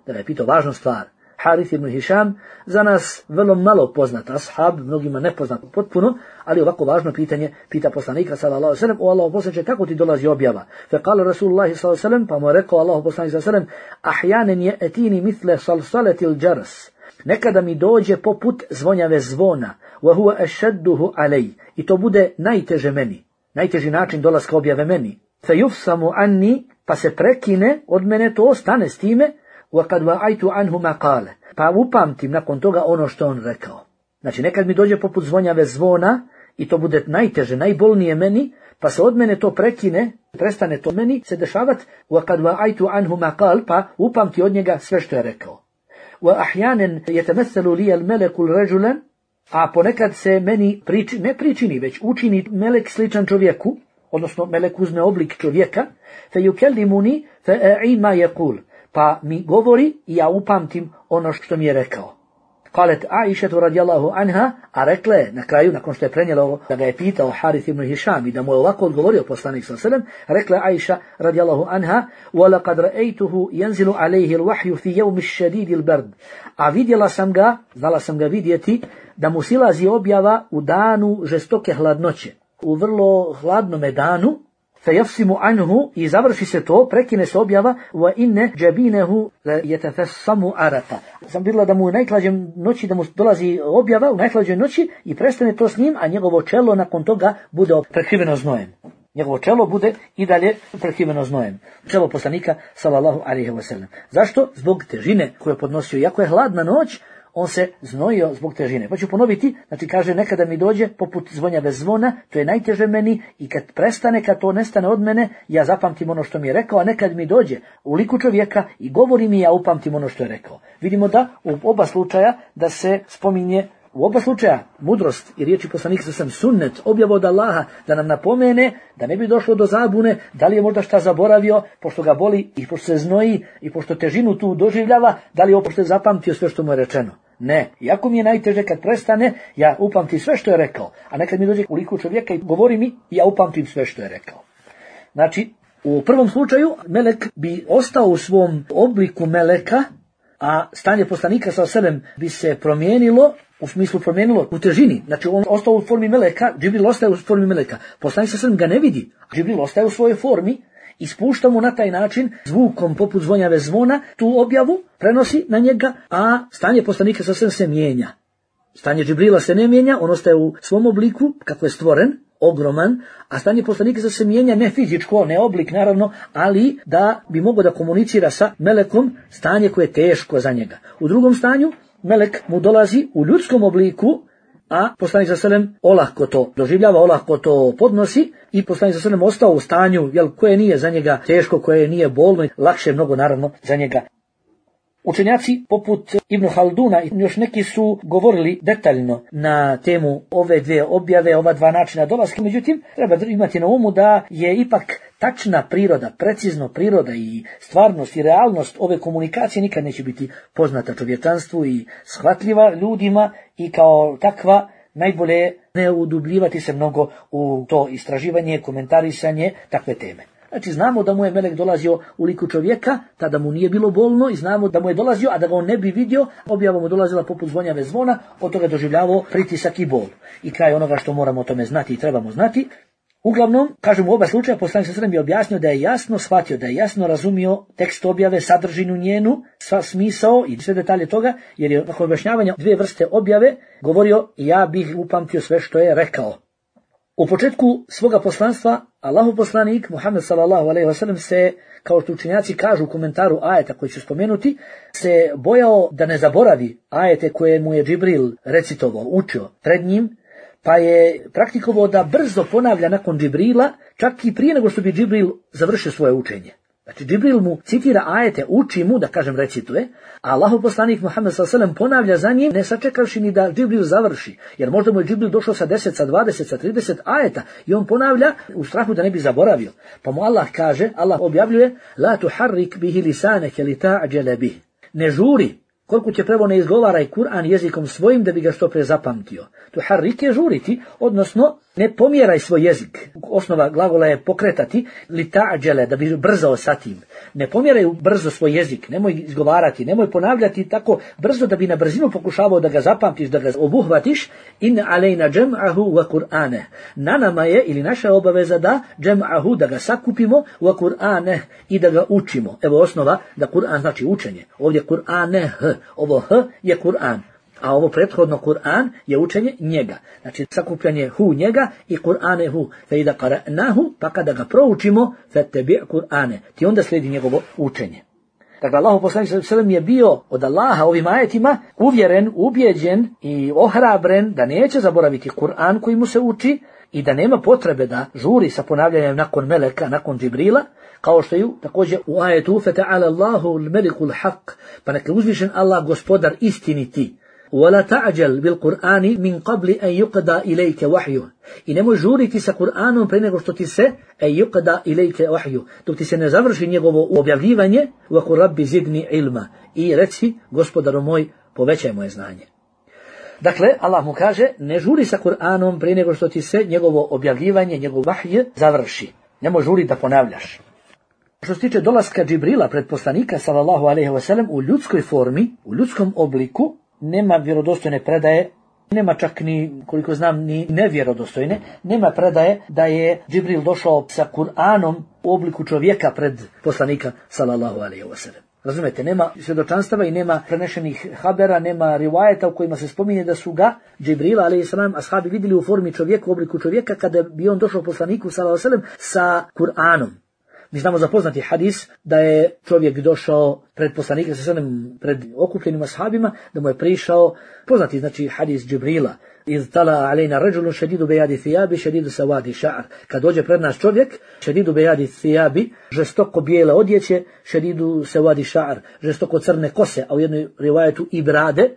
Speaker 1: Da ga je pitao važnu stvar. Harith ibn Hisham, za nas vrlo malo poznat ashab, mnogima nepoznat potpuno, ali ovako važno pitanje pita poslanika sallallahu alejhi ve sellem: o Allahov poslaniče, kako ti dolazi objava? Fa qala Rasulullah sallallahu alejhi ve sellem, pa mu je rekao Allahov poslanik sallallahu alejhi ve sellem: ahyanan ya'tini mithla salsalati al-jaras. Nekada mi dođe poput zvonjave zvona, wa huwa ashadduhu alay, i to bude najteže meni, najteži način dolaska objave meni. Fa yufsamu anni, pa se prekine od mene to, stane s time. وَقَدْ وَعَيْتُ عَنْهُ مَا قَالَ, pa upamtim nakon toga ono što on rekao. Znači, nekad mi dođe poput zvonjave zvona i to bude najteže, najbolnije meni, pa se od mene to prekine, prestane to meni se dešavati. وَقَدْ وَعَيْتُ عَنْهُ مَا قَالَ, pa upamti od njega sve što je rekao. وَأَحْيَانًا يَتَمَثَّلُ لِيَ الْمَلَكُ الرَّجُلًا, a ponekad se meni priči, ne pričini, već učini melek sličan čovjeku, odnosno melek uzme oblik čovjeka, فَيُكَلِّمُنِي فَأَعِي مَا يَقُولُ, pa mi govori i ja upamtim ono što mi je rekao. Kalet Aishatu radijallahu anha, a rekla je na kraju, nakon što je prenijela ovo, da ga je pitao Harith ibn Hisham i da mu je ovako odgovorio poslanik sallallahu alejhi ve sellem, rekla je Aisha radijallahu anha: وَلَقَدْ رَأَيْتُهُ يَنْزِلُ عَلَيْهِ الْوَحْيُ فِي يَوْمِ الشَّدِيدِ الْبَرْدِ. A vidjela sam ga, znala sam ga vidjeti, da mu silazi objava u danu žestoke hladnoće. U vrlo hladnome danu, fejafsimu anhu i završi se to, prekine se objava wa inne džabinehu yatafassamu araka. Sam bila da mu u najklađem noći, da mu dolazi objava u najklađoj noći i prestane to s njim, a njegovo čelo nakon toga bude prekriveno znojem. Njegovo čelo bude i dalje prekriveno znojem. Čelo poslanika sallallahu alejhi ve sellem. Zašto? Zbog težine koju je podnosio. Iako je hladna noć, on se znojio zbog težine. Pa ću ponoviti, znači kaže nekada mi dođe poput zvonja bez zvona, to je najteže meni i kad prestane, kad to nestane od mene, ja zapamtim ono što mi je rekao, a nekad mi dođe u liku čovjeka i govori mi, ja upamtim ono što je rekao. Vidimo da u oba slučaja da se spominje u oba slučaja mudrost i riječi poslanika sam sunnet, objava od Allaha da nam napomene da ne bi došlo do zabune, da li je možda šta zaboravio, pošto ga boli i pošto se znoji i pošto težinu tu doživljava, da li je pošto je zapamtio sve što mu je rečeno. Ne, iako mi je najteže kad prestane, ja upamtim sve što je rekao, a nekad mi dođe u liku čovjeka i govori mi, ja upamtim sve što je rekao. Znači, u prvom slučaju melek bi ostao u svom obliku meleka, a stanje poslanika sa selem bi se promijenilo, u smislu promijenilo u težini. Znači on ostao u formi meleka, Džibril ostaje u formi meleka. Poslanik sa selem ga ne vidi, Džibril ostaje u svojoj formi i spušta mu na taj način zvukom poput zvonjave zvona tu objavu, prenosi na njega, a stanje poslanika sa selem se mijenja. Stanje Džibrila se ne mijenja, on ostaje u svom obliku kako je stvoren, ogroman, a stanje poslanika se mijenja ne fizičko, ne oblik naravno, ali da bi mogao da komunicira sa melekom, stanje koje je teško za njega. U drugom stanju melek mu dolazi u ljudskom obliku, a poslanik sa selem olahko to doživljava, olahko to podnosi i poslanik sa selem ostao u stanju jel, koje nije za njega teško, koje nije bolno i lakše mnogo naravno za njega. Učenjaci poput Ibn Halduna i još neki su govorili detaljno na temu ove dvije objave, ova dva načina dolaska, međutim treba imati na umu da je ipak tačna priroda, precizno priroda i stvarnost i realnost ove komunikacije nikad neće biti poznata čovječanstvu i shvatljiva ljudima i kao takva najbolje ne udubljivati se mnogo u to istraživanje, komentarisanje takve teme. Znači znamo da mu je melek dolazio u liku čovjeka, tada mu nije bilo bolno i znamo da mu je dolazio, a da ga on ne bi vidio, objava mu dolazila poput zvonjave zvona, od toga doživljavao pritisak i bol. I kraj onoga što moramo o tome znati i trebamo znati. Uglavnom, kažem u oba slučaja, poslanik sa selem je objasnio da je jasno shvatio, da je jasno razumio tekst objave, sadržinu njenu, sva smisao i sve detalje toga, jer je nakon objašnjavanja dvije vrste objave govorio ja bih upamtio sve što je rekao. U početku svoga poslanstva Allahov poslanik Muhammed sallallahu alejhi ve sellem se, kao što učenjaci kažu u komentaru ajeta koji ću spomenuti, se bojao da ne zaboravi ajete koje mu je Džibril recitovao, učio pred njim, pa je praktikovao da brzo ponavlja nakon Džibrila, čak i prije nego što bi Džibril završio svoje učenje. Znači Džibril mu citira ajete, uči mu, da kažem recituje, a Allahov poslanik Muhammed sallallahu alejhi ve sellem ponavlja za njim, ne sačekavši ni da Džibril završi, jer možda mu je Džibril došao sa deset, sa dvadeset, sa trideset ajeta i on ponavlja u strahu da ne bi zaboravio. Pa mu Allah kaže, Allah objavljuje, la tuharrik bihi lisanaka li ta'jala bih. Ne žuri, koliko će prvo ne izgovaraj Kur'an jezikom svojim da bi ga što pre zapamtio. Tuharrik je žuriti, odnosno ne pomjeraj svoj jezik. Osnova glagola je pokretati, li ta'jala, da bi brzao sa tim. Ne pomjeraj brzo svoj jezik, nemoj izgovarati, nemoj ponavljati tako brzo da bi na brzinu pokušavao da ga zapamtiš, da ga obuhvatiš. In alejna džem'ahu wa Kur'ane. Na nama je, ili naša obaveza da džem'ahu, da ga sakupimo, wa Kur'ane, i da ga učimo. Evo osnova da Kur'an znači učenje. Ovdje Kur'ane, h. Ovo h je Kur'an. A ovo prethodno Kur'an je učenje njega. Znači sakupljanje hu njega i Kur'ane hu. Fe ida qara'nahu, pa kada ga proučimo, fattabi' Kur'ane. Ti onda slijedi njegovo učenje. Dakle, Allahu poslanik sallallahu alejhi ve sellem je bio od Allaha ovim ajetima uvjeren, ubjeđen i ohrabren da neće zaboraviti Kur'an koji mu se uči i da nema potrebe da žuri sa ponavljanjem nakon meleka, nakon Džibrila, kao što je također u ajetu fata'ala Allahu al-malikul haq, pa neka uzvišen Allah gospodar istiniti. وَلَا تَعْجَلْ بِالْقُرْآنِ مِنْ قَبْلِ أَنْ يُقْدَى إِلَيْكَ وَحْيُهُ. I nemoj žuriti sa Kur'anom pre nego što ti se أَنْ يُقْدَى إِلَيْكَ وَحْيُهُ, dok ti se ne završi njegovo objavljivanje. وَقُلْ رَبِّ زِدْنِي عِلْمًا. I reci, gospodaru moj, povećaj moje znanje. Dakle, Allah mu kaže, ne žuri sa Kur'anom pre nego što ti se njegovo objavljivanje, njegov vahj završi. Nemoj žuriti da ponavljaš. Što se tiče dolaska Džibrila pred poslanika sallallahu alejhi ve sellem u ljudskoj formi, u ljudskom obliku, nema vjerodostojne predaje nema čak ni, koliko znam, ni nevjerodostojne, nema predaje da je Džibril došao sa Kur'anom u obliku čovjeka pred poslanika sallallahu alejhi ve sellem. Razumete, nema svjedočanstava i nema prenešenih habera, nema rivajeta u kojima se spominje da su ga Džibrila alejhi selam ashabi vidjeli u formi čovjeka, u obliku čovjeka, kada bi on došao poslaniku sallallahu alejhi ve sellem sa Kur'anom. Mi znamo za poznati hadis da je čovjek došao pred poslanika sallallahu alejhi ve sellem, pred okupljenim ashabima, da mu je prišao poznati znači hadis Džibrila. Iz tala alejna rajulun shadidu bayadi thiyabi shadidu sawadi sha'r. Kad dođe pred nas čovjek, shadidu bayadi thiyabi, žestoko bijele odjeće, shadidu sawadi sha'r, žestoko crne kose, a u jednoj rivajetu i brade.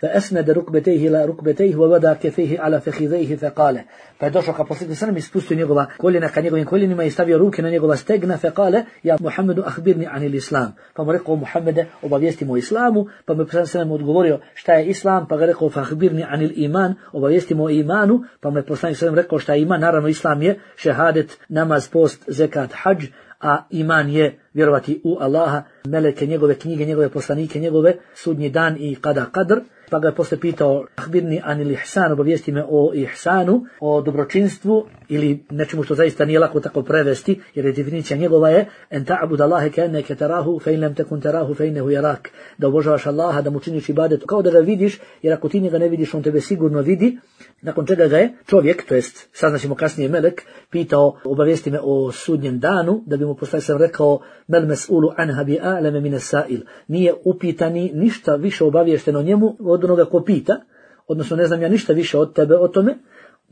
Speaker 1: فأسند ركبتيه إلى ركبتيه ووضع كفيه على فخذيه فقال فدوشو كبسيط سلام ispustio njegova koljena ka njegovim koljenima i stavio ruke na njegova stegna فقال يا محمد أخبرني عن الإسلام. Pa mu rekao Muhammede, obavijesti mu o islamu, pa mu poslanik sallallahu odgovorio šta je islam, pa ga rekao فأخبرني عن الإيمان, obavijesti mu o imanu, pa mu poslanik sallallahu rekao šta je iman. Naravno islam je šehadet, namaz, post, zekat, hadž, a iman je vjerovati u Allaha, meleke, njegove knjige, njegove poslanike, njegove, sudnji dan i kada kadr. Pa ga je posle pitao, ahbirni anil ihsan, obavijesti me o ihsanu, o dobročinstvu ili nečemu što zaista nije lako tako prevesti, jer je definicija njegova je en ta'bud Allahe ka'annaka tarahu fa in lam takun tarahu fa innahu yarak, da obožavaš Allaha, da mu činiš ibadet kao da ga vidiš, jer ako ti njega ne vidiš, on tebe sigurno vidi. Nakon čega ga je čovjek, to jest saznaćemo kasnije melek, pitao, obavijesti me o sudnjem danu, da bi mu poslanik sam rekao mel mes'ulu anha bi a'lama min as-sa'il, nije upitani ništa više obaviješteno njemu od onoga ko pita, odnosno ne znam ja ništa više od tebe o tome.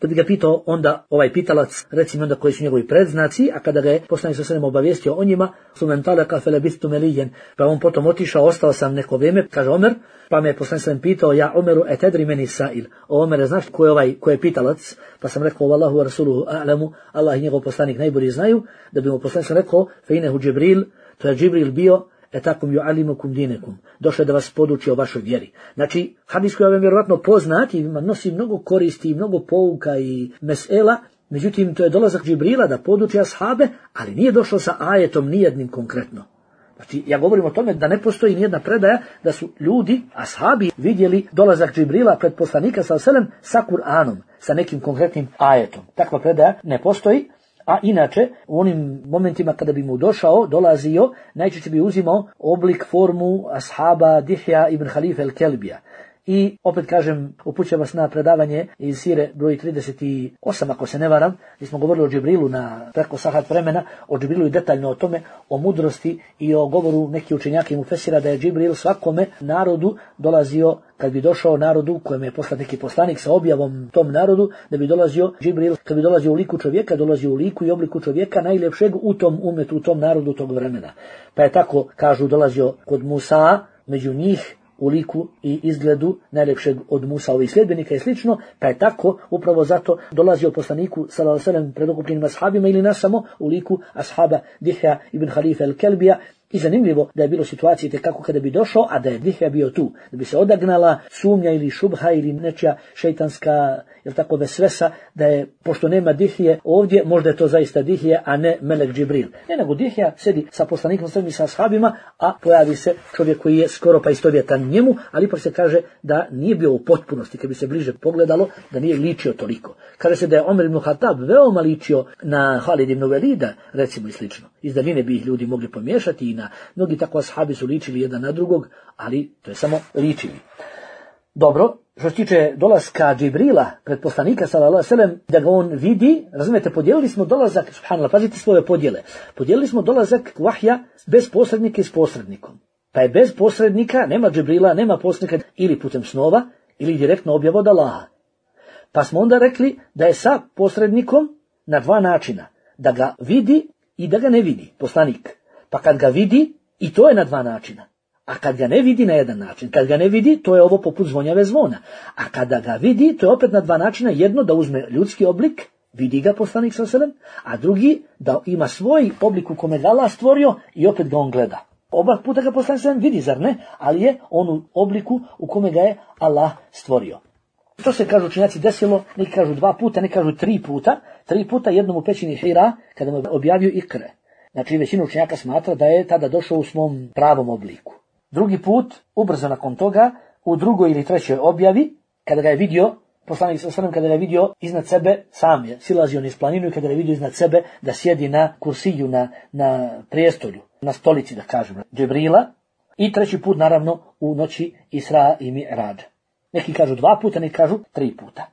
Speaker 1: Da bi ga pitao onda ovaj pitalac, recimo onda koji su njegovi predznaci, a kada ga je poslanik sallallahu alejhi ve sellem obavijestio o njima, sumen talaka falabistu maliyan, pa on potom otišao, ostao sam neko vrijeme, kaže Omer, pa me je poslanik sallallahu alejhi ve sellem pitao, ja Omeru etedri meni sa'il, o Omere, znaš ko je ovaj, ko je pitalac? Pa sam rekao, vallahu wa rasuluhu a'lamu, Allah i njegov poslanik najbolje znaju, da bi mu poslanik sallallahu alejhi ve sellem rekao, fe inehu Džibril, to je Džibril bio, etakum yu'allimukum dinekum, došao da vas poduči o vašoj vjeri. Znači, hadis koji je vam vjerovatno poznat i nosi mnogo koristi i mnogo pouka i mesela, međutim, to je dolazak Džibrila da poduči ashabe, ali nije došao sa ajetom nijednim konkretno. Znači, ja govorim o tome da ne postoji nijedna predaja da su ljudi, ashabi, vidjeli dolazak Džibrila pred poslanika sallallahu alejhi ve sellem sa Kur'anom, sa nekim konkretnim ajetom. Takva predaja ne postoji. A inače, u onim momentima kada bi mu došao, dolazio, najčešće bi uzimao oblik, formu ashaba Dihja ibn Halife el-Kelbija. I opet kažem, upućujem vas na predavanje iz Sire broj trideset osam, ako se ne varam, gdje smo govorili o Džibrilu na preko sahat vremena, o Džibrilu i detaljno o tome, o mudrosti i o govoru neki učenjaka i mufesira da je Džibril svakome narodu dolazio, kad bi došao narodu kojem je poslat neki poslanik sa objavom tom narodu, da bi dolazio Džibril, kad bi dolazio u liku čovjeka, dolazio u liku i obliku čovjeka najljepšeg u tom umetu, u tom narodu tog vremena. Pa je tako, kažu, dolazio kod Musa, među njih, u liku i izgledu najljepšeg od Musaovih sljedbenika i slično, pa je tako upravo zato dolazio poslaniku sallallahu alejhi ve sellem pred okupljenim ashabima ili ne samo u liku ashaba Dihja ibn Halife el-Kelbija. I zanimljivo da je bilo situacije kako kada bi došao, a da je Dihja bio tu, da bi se odagnala sumnja ili šubha ili nečija šejtanska, jel tako, vesvesa, da je, pošto nema Dihje ovdje, možda je to zaista Dihje, a ne melek Džibril. Ne, nego Dihja sedi sa poslanikom i sa ashabima, a pojavi se čovjek koji je skoro pa istovjetan njemu, ali ipak se kaže da nije bio u potpunosti, kad bi se bliže pogledalo, da nije ličio toliko. Kaže se da je Omer ibn Khattab veoma ličio na Halid ibn Velida, recimo i slično. Iz daljine bi ih ljudi mogli pomiješati i na mnogi tako ashabi su ličili jedan na drugog, ali to je samo ličili. Dobro, što se tiče dolaska Džibrila pred poslanika sallallahu alejhi ve sellem, da ga on vidi, razumijete, podijelili smo dolazak, subhanallah, pazite svoje podjele, podijelili smo dolazak vahja bez posrednika i s posrednikom. Pa je bez posrednika, nema Džibrila, nema posrednika ili putem snova, ili direktno objava od Allaha. Pa smo onda rekli da je sa posrednikom na dva načina, da ga vidi i da ga ne vidi poslanik. Pa kad ga vidi, i to je na dva načina. A kad ga ne vidi, na jedan način. Kad ga ne vidi, to je ovo poput zvonjave zvona. A kada ga vidi, to je opet na dva načina. Jedno, da uzme ljudski oblik, vidi ga poslanik sallallahu alejhi ve sellem, a drugi, da ima svoj oblik u kome ga Allah stvorio i opet ga on gleda. Oba puta ga poslanik sallallahu alejhi ve sellem vidi, zar ne? Ali je on u obliku u kome ga je Allah stvorio. To se, kažu učenjaci, desilo, neki kažu dva puta, neki kažu tri puta. Tri puta jednom u pećini Hira, kada mu objavio Ikre. Znači, većina učenjaka smatra da je tada došao u svom pravom obliku. Drugi put, ubrzo nakon toga, u drugoj ili trećoj objavi, kada ga je vidio Poslanik sallallahu alejhi ve sellem kada je vidio iznad sebe, sam je silazio niz planinu i kada je vidio iznad sebe da sjedi na kursiju, na, na prijestolju, na stolici da kažemo, Džibrila, i treći put naravno u noći Isra i Mi'rađa. Neki kažu dva puta, neki kažu tri puta.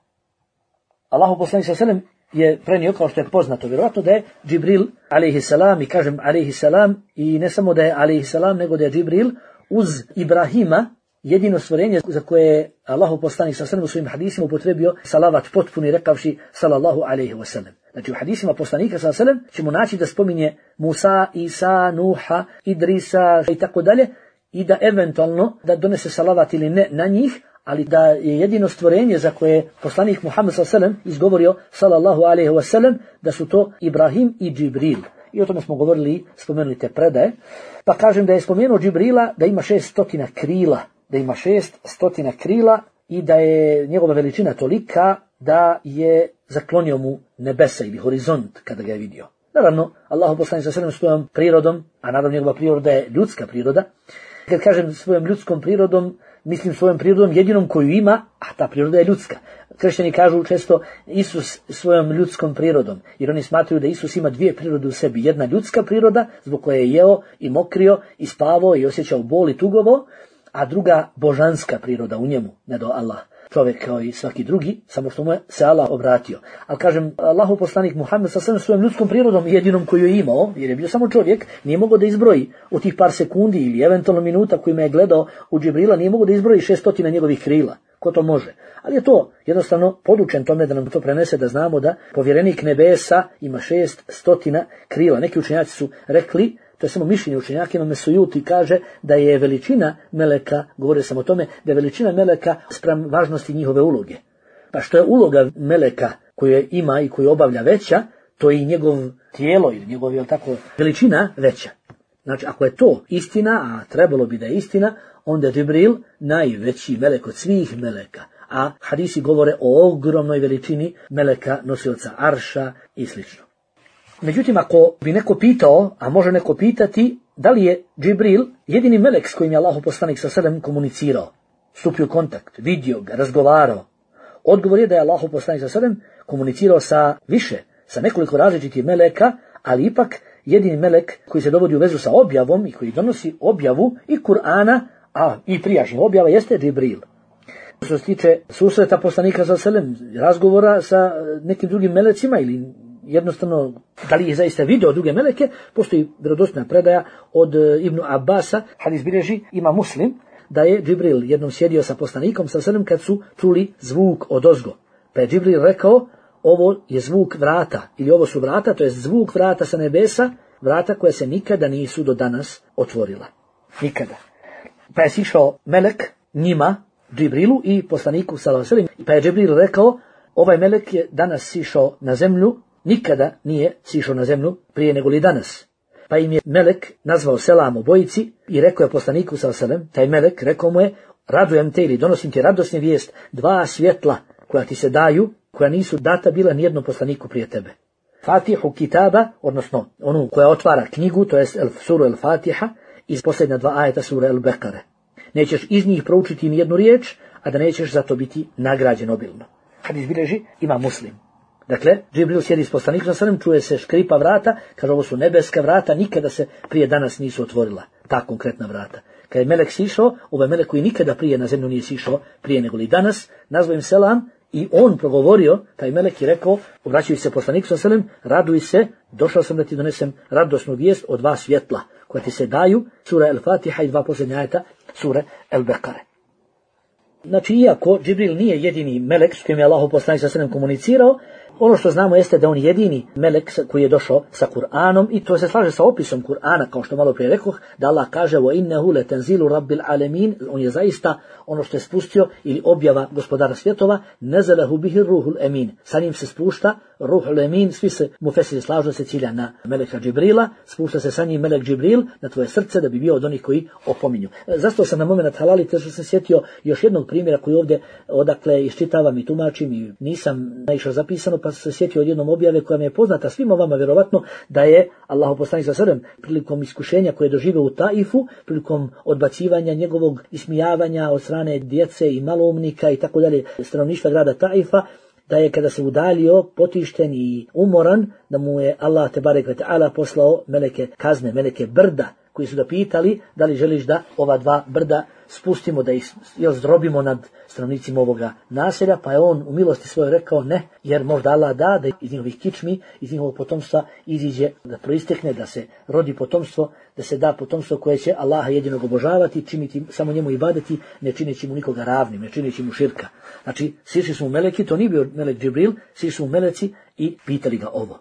Speaker 1: Allahu poslanik sallallahu alejhi ve sellem je prenio, kao što je poznato, vjerojatno da je Džibril alejhiselam, i kažem alejhiselam, i ne samo da je alejhiselam, nego da je Džibril uz Ibrahima jedino stvorenje za koje je Allahu poslanik sallallahu alejhi ve sellem u svojim hadisima upotrebio salavat potpuni rekavši sallallahu alejhi ve sellem. Znači u hadisima poslanika sallallahu alejhi ve sellem ćemo naći da spominje Musa, Isa, Nuha, Idrisa i tako dalje, i da eventualno da donese salavat ili ne na njih, ali da je jedino stvorenje za koje je poslanik Muhammed sallallahu alejhi ve sellem izgovorio sallallahu alejhi ve sellem da su to Ibrahim i Džibril. I o tome smo govorili, spomenuli te predaje. Pa kažem da je spomenuo Džibrila da ima šest stotina krila, da ima šest stotina krila i da je njegova veličina tolika da je zaklonio mu nebesa ili horizont kada ga je vidio. Naravno, Allahu poslanik sallallahu alejhi ve sellem svojom prirodom, a naravno njegova priroda je ljudska priroda. Kad kažem svojom ljudskom prirodom, mislim svojom prirodom jedinom koju ima, a ta priroda je ljudska. Kršćani kažu često Isus svojom ljudskom prirodom, jer oni smatraju da Isus ima dvije prirode u sebi. Jedna ljudska priroda, zbog koje je jeo i mokrio i spavao i osjećao bol i tugovo, a druga božanska priroda u njemu, ne do Allah. Čovjek kao i svaki drugi, samo što mu je se Allah obratio. Ali kažem, Allahu poslanik Muhammed sa svojom ljudskom prirodom jedinom koju je imao, jer je bio samo čovjek, nije mogao da izbroji u tih par sekundi ili eventualno minuta kojima je gledao u Džibrila, nije mogao da izbroji šestotina njegovih krila. Ko to može? Ali je to jednostavno podučen tome da nam to prenese, da znamo da povjerenik nebesa ima šest stotina krila. Neki učenjaci su rekli, to je samo mišljenje učenjaka, Imam Sujuti kaže da je veličina meleka, govorio sam o tome, da je veličina meleka spram važnosti njihove uloge. Pa što je uloga meleka koju ima i koju obavlja veća, to je i njegov tijelo ili njegov, jel tako, veličina veća. Znači, ako je to istina, a trebalo bi da je istina, onda je Džibril najveći melek od svih meleka. A hadisi govore o ogromnoj veličini meleka, nosioca arša i slično. Međutim, ako bi neko pitao, a može neko pitati, da li je Džibril jedini melek s kojim je Allahu poslanik sallallahu alejhi ve sellem komunicirao, stupio u kontakt, vidio ga, razgovarao? Odgovor je da je Allahu poslanik sallallahu alejhi ve sellem komunicirao sa više, sa nekoliko različitih meleka, ali ipak jedini melek koji se dovodi u vezu sa objavom i koji donosi objavu i Kur'ana, a i prijašnjih objava, jeste Džibril. Što se tiče susreta poslanika sallallahu alejhi ve sellem, razgovora sa nekim drugim melecima ili jednostavno, da li je zaista video druge meleke, postoji vjerodostojna predaja od Ibnu Abasa, hadis bilježi ima Muslim, da je Džibril jednom sjedio sa poslanikom sallallahu alejhi ve sellem kad su čuli zvuk odozgo. Pa je Džibril rekao, ovo je zvuk vrata, ili ovo su vrata, to je zvuk vrata sa nebesa, vrata koja se nikada nisu do danas otvorila. Nikada. Pa je sišao melek njima, Džibrilu i poslaniku sallallahu alejhi ve sellem, pa je Džibril rekao, ovaj melek je danas sišao na zemlju, nikada nije sišao na zemlju prije nego li danas. Pa im je melek nazvao selam obojici i rekao je poslaniku sallallahu alejhi ve sellem, taj melek rekao mu je, radujem te ili donosim ti radosnu vijest, dva svjetla koja ti se daju, koja nisu data bila nijednom poslaniku prije tebe. Fatihu kitaba, odnosno onu koja otvara knjigu, to je suru El Fatiha, iz posljednja dva ajeta sure El Bekare. Nećeš iz njih proučiti ni jednu riječ, a da nećeš za to biti nagrađen obilno. Hadis bilježi ima Muslim. Dakle, Džibril sjedi s poslanikom sallallahu alejhi ve sellem, čuje se škripa vrata, kaže ovo su nebeska vrata, nikada se prije danas nisu otvorila, ta konkretna vrata. Kad je melek sišao, ovaj melek koji nikada prije na zemlju nije sišao, prije nego li danas, nazvao im selam i on progovorio, taj melek je rekao, obraćajući se poslaniku sallallahu alejhi ve sellem, raduj se, došao sam da ti donesem radosnu vijest od dva svjetla, koja ti se daju, sura El Fatiha i dva posljednja ajeta, sure El Bekare. Znači, iako Džibril nije jedini melek s kojim je Allahu poslanik sallallahu alejhi ve sellem komunicirao, ono što znamo jeste da on jedini melek koji je došao sa Kur'anom i to se slaže sa opisom Kur'ana, kao što malo prije rekoh, da Allah kaže wa innahu latanzilu rabbil alamin, on je zaista ono što je spustio ili objava gospodara svjetova, nazalahu bihi ruhul amin. Sa njim se spušta ruhul amin, svi se mufesiri slažu se cilja na meleka Džibrila, spušta se sa njim melek Džibril na tvoje srce da bi bio od onih koji opominju. Zastao sam na moment halalite što sam sjetio još jednog primjera koji ovdje odakle iščitavam i tumačim i nisam naišao zapisano, pa pa se sjetio od jednom objave koja mi je poznata svima vama vjerovatno, da je Allahu poslanik sallallahu alejhi ve sellem prilikom iskušenja koje je doživio u Taifu, prilikom odbacivanja njegovog ismijavanja od strane djece i maloumnika i tako dalje stanovništva grada Taifa, da je kada se udalio potišten i umoran, da mu je Allah tebarek ve taala poslao meleke kazne, meleke brda, koji su ga pitali da li želiš da ova dva brda spustimo, da ih zdrobimo nad stanovnicima ovoga naselja, pa je on u milosti svojoj rekao ne, jer možda Allah da, da iz njihovih kičmi, iz njihovog potomstva iziđe, da proistekne, da se rodi potomstvo, da se da potomstvo koje će Allaha jedinog obožavati, činiti samo njemu ibadeti, ne čineći mu nikoga ravnim, ne čineći mu širka. Znači, sišli su mu meleki, to nije bio melek Džibril, sišli su mu meleci i pitali ga ovo.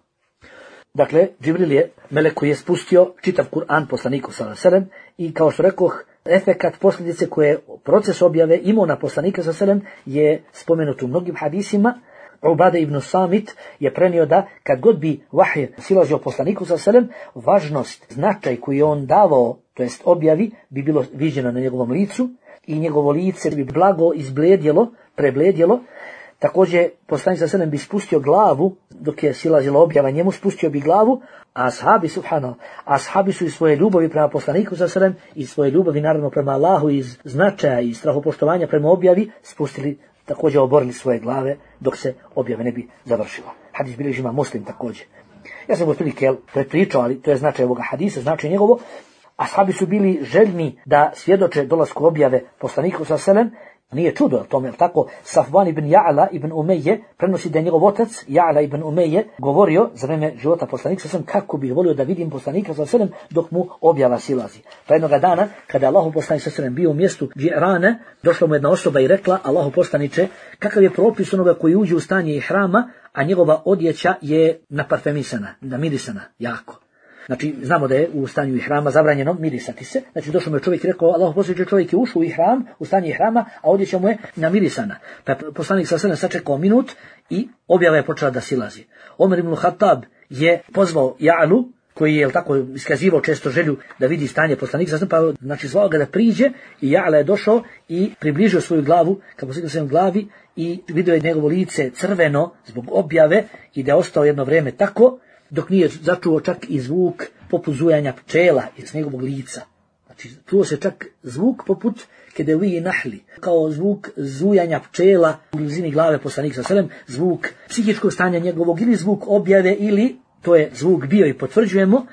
Speaker 1: Dakle, Džibril je melek koji je spustio čitav Kur'an poslaniku sallallahu alejhi ve sellem i kao što rekoh, efekat posljedice koje proces objave imao na poslanika sallallahu alejhi ve sellem je spomenut u mnogim hadisima. Ubada ibn Samit je prenio da kad god bi vahij silazio poslaniku sallallahu alejhi ve sellem, važnost, značaj koji je on davao, to jest objavi, bi bilo viđeno na njegovom licu i njegovo lice bi blago izbledjelo, prebledjelo. Također, poslanik sallallahu alejhi ve sellem bi spustio glavu, dok je silazila objava njemu, spustio bi glavu, a ashabi, subhanallah, ashabi su iz svoje ljubavi prema poslaniku sallallahu alejhi ve sellem, i svoje ljubavi naravno prema Allahu, iz značaja i strahopoštovanja prema objavi, spustili, također oborili svoje glave, dok se objave ne bi završila. Hadis bilježi ima Muslim također. Ja sam otprilike prepričao, ali to je značaj ovoga hadisa, značaj njegovo. Ashabi su bili željni da svjedoče dolasku objave poslaniku sallallahu alejhi ve sellem. Nije čudo, tome, tako, Safvan ibn Ja'la ibn Umeje prenosi da je njegov otac, Ja'la ibn Umeje, govorio za vreme života poslanika sallallahu alejhi ve sellem kako bih volio da vidim poslanika sallallahu alejhi ve sellem dok mu objava silazi. Pa jednoga dana, kada je Allahu poslanik sallallahu alejhi ve sellem bio u mjestu Džirane, došla mu jedna osoba i rekla: Allahu poslaniče, kakav je propis onoga koji uđe u stanje ihrama, a njegova odjeća je naparfemisana, namirisana jako. Znači, znamo da je u stanju ihrama zabranjeno mirisati se. Znači, došao mu je čovjek i rekao: Allahu poslaniče, čovjek je ušao u ihram, u stanje ihrama, a odjeća mu je namirisana. Pa je poslanik sallallahu alejhi ve sellem sačekao minut i objava je počela da silazi. Omer ibn Khattab je pozvao Ja'lu, koji je tako iskazivao često želju da vidi stanje poslanika sallallahu alejhi ve sellem, pa znači zvao ga da priđe, i Ja'la je došao i približio svoju glavu ka poslaniku sallallahu alejhi ve sellem glavi i vidio je njegovo lice crveno zbog objave i da je ostao jedno vrijeme tako, dok nije začuo čak i zvuk poput zujanja pčela iz njegovog lica. Znači, čuo se čak zvuk poput kedevi nahli, kao zvuk zujanja pčela u blizini glave poslanika sallallahu alejhi ve sellem, zvuk psihičkog stanja njegovog ili zvuk objave, ili to je zvuk bio i potvrđujemo,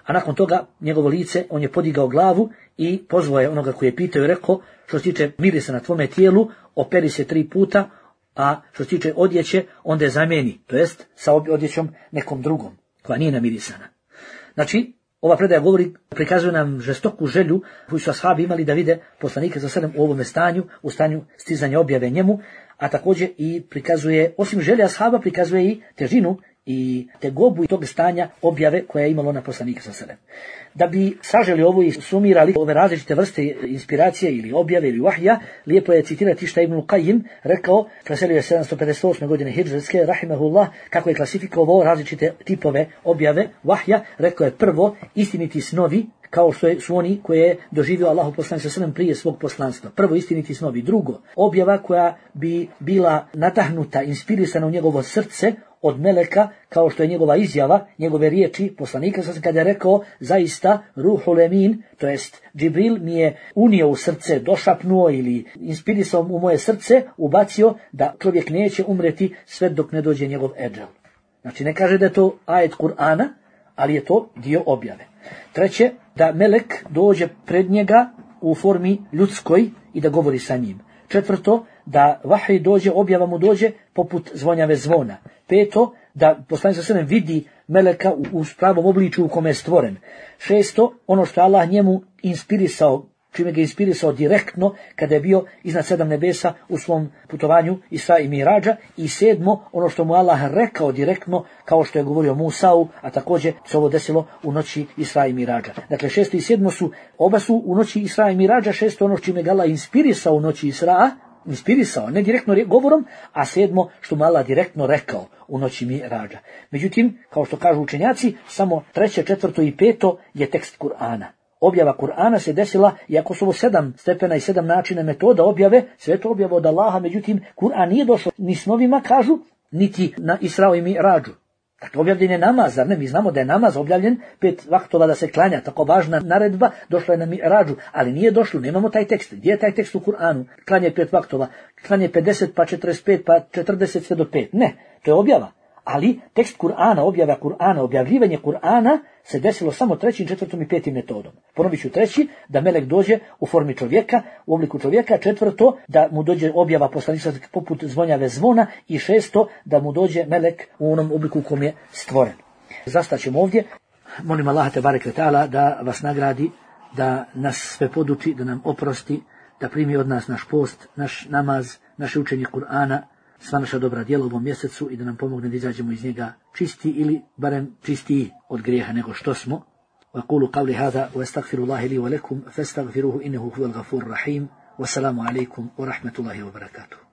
Speaker 1: a nakon toga njegovo lice, on je podigao glavu i pozvao je onoga koji je pitao i rekao: što se tiče mirisa na tvome tijelu, operi se tri puta, a što se tiče odjeće, onda je zamijeni, to jest sa odjećom nekom drugom, koja nije namirisana. Znači, ova predaja govori, prikazuje nam žestoku želju koju su ashabi imali da vide poslanika sallallahu alejhi ve sellem u ovome stanju, u stanju stizanja objave njemu, a također i prikazuje, osim želje ashaba, prikazuje i težinu i tegobu i tog stanja objave koja je imalo na poslanika sallallahu alejhi ve sellem. Da bi saželi ovo i sumirali ove različite vrste inspiracije ili objave ili vahja, lijepo je citirati šta Ibn Qayyim rekao, preselio je sedamsto pedeset osme godine hidžretske, rahimehullah, kako je klasifikovao različite tipove objave vahja. Rekao je: prvo, istiniti snovi, kao što su oni koje je doživio Allahu poslanik sallallahu alejhi ve sellem prije svog poslanstva. Prvo, istiniti snovi. Drugo, objava koja bi bila natahnuta, inspirisana u njegovo srce od meleka, kao što je njegova izjava, njegove riječi poslanika sallallahu alejhi ve sellem kada je rekao: zaista Ruhul Emin, to jest Džibril, mi je unio u srce, došapnuo ili inspirisao u moje srce, ubacio da čovjek neće umreti sve dok ne dođe njegov edžel. Znači, ne kaže da je to ajet Kur'ana, ali je to dio objave. Treće, da melek dođe pred njega u formi ljudskoj i da govori sa njim. Četvrto, da vahij dođe, objava mu dođe poput zvonjave zvona. Peto, da poslanik sallallahu alejhi ve sellem vidi meleka u, u pravom obličju u kome je stvoren. Šesto, ono što je Allah njemu inspirisao, čime ga je inspirisao direktno kada je bio iznad sedam nebesa u svom putovanju Isra i Miradža. I sedmo, ono što mu Allah rekao direktno, kao što je govorio Musau, a također se ovo desilo u noći Isra i Miradža. Dakle, šesto i sedmo su, oba su u noći Isra i Miradža, šesto ono čime ga Allah inspirisao u noći Isra, inspirisao, ne direktno govorom, a sedmo što mu Allah direktno rekao u noći Miradža. Međutim, kao što kažu učenjaci, samo treće, četvrto i peto je tekst Kur'ana. Objava Kur'ana se desila, iako su ovo sedam stepena i sedam načina metoda objave, sve to objava od Allaha, međutim, Kur'an nije došao ni snovima, kažu, niti na Israu i Mi'rađu. Dakle, objavljen je namaz, zar ne? Mi znamo da je namaz objavljen, pet vaktova da se klanja, tako važna naredba, došla je na Mi'rađu, ali nije došlo, nemamo taj tekst. Gdje je taj tekst u Kur'anu? Klanje pet vaktova, klanje pedeset, pa četrdeset pet, pa četrdeset sve do pet. Ne, to je objava. Ali tekst Kur'ana, objava Kur'ana, objavljivanje Kur'ana se desilo samo trećim, četvrtom i petim metodom. Ponovit ću treći, da melek dođe u formi čovjeka, u obliku čovjeka, četvrto, da mu dođe objava poslanička poput zvonjave zvona i šesto, da mu dođe melek u onom obliku u kom je stvoren. Zastaćemo ovdje. Molim Allaha te bareke ve taala da vas nagradi, da nas sve poduči, da nam oprosti, da primi od nas naš post, naš namaz, naše učenje Kur'ana, sva naša dobra djela u ovom mjesecu i da nam pomogne da izađemo iz njega čisti ili barem čistiji od grijeha nego što smo. وأقول قولي هذا وأستغفر الله لي ولكم فاستغفروه إنه هو الغفور الرحيم والسلام عليكم ورحمة الله وبركاته.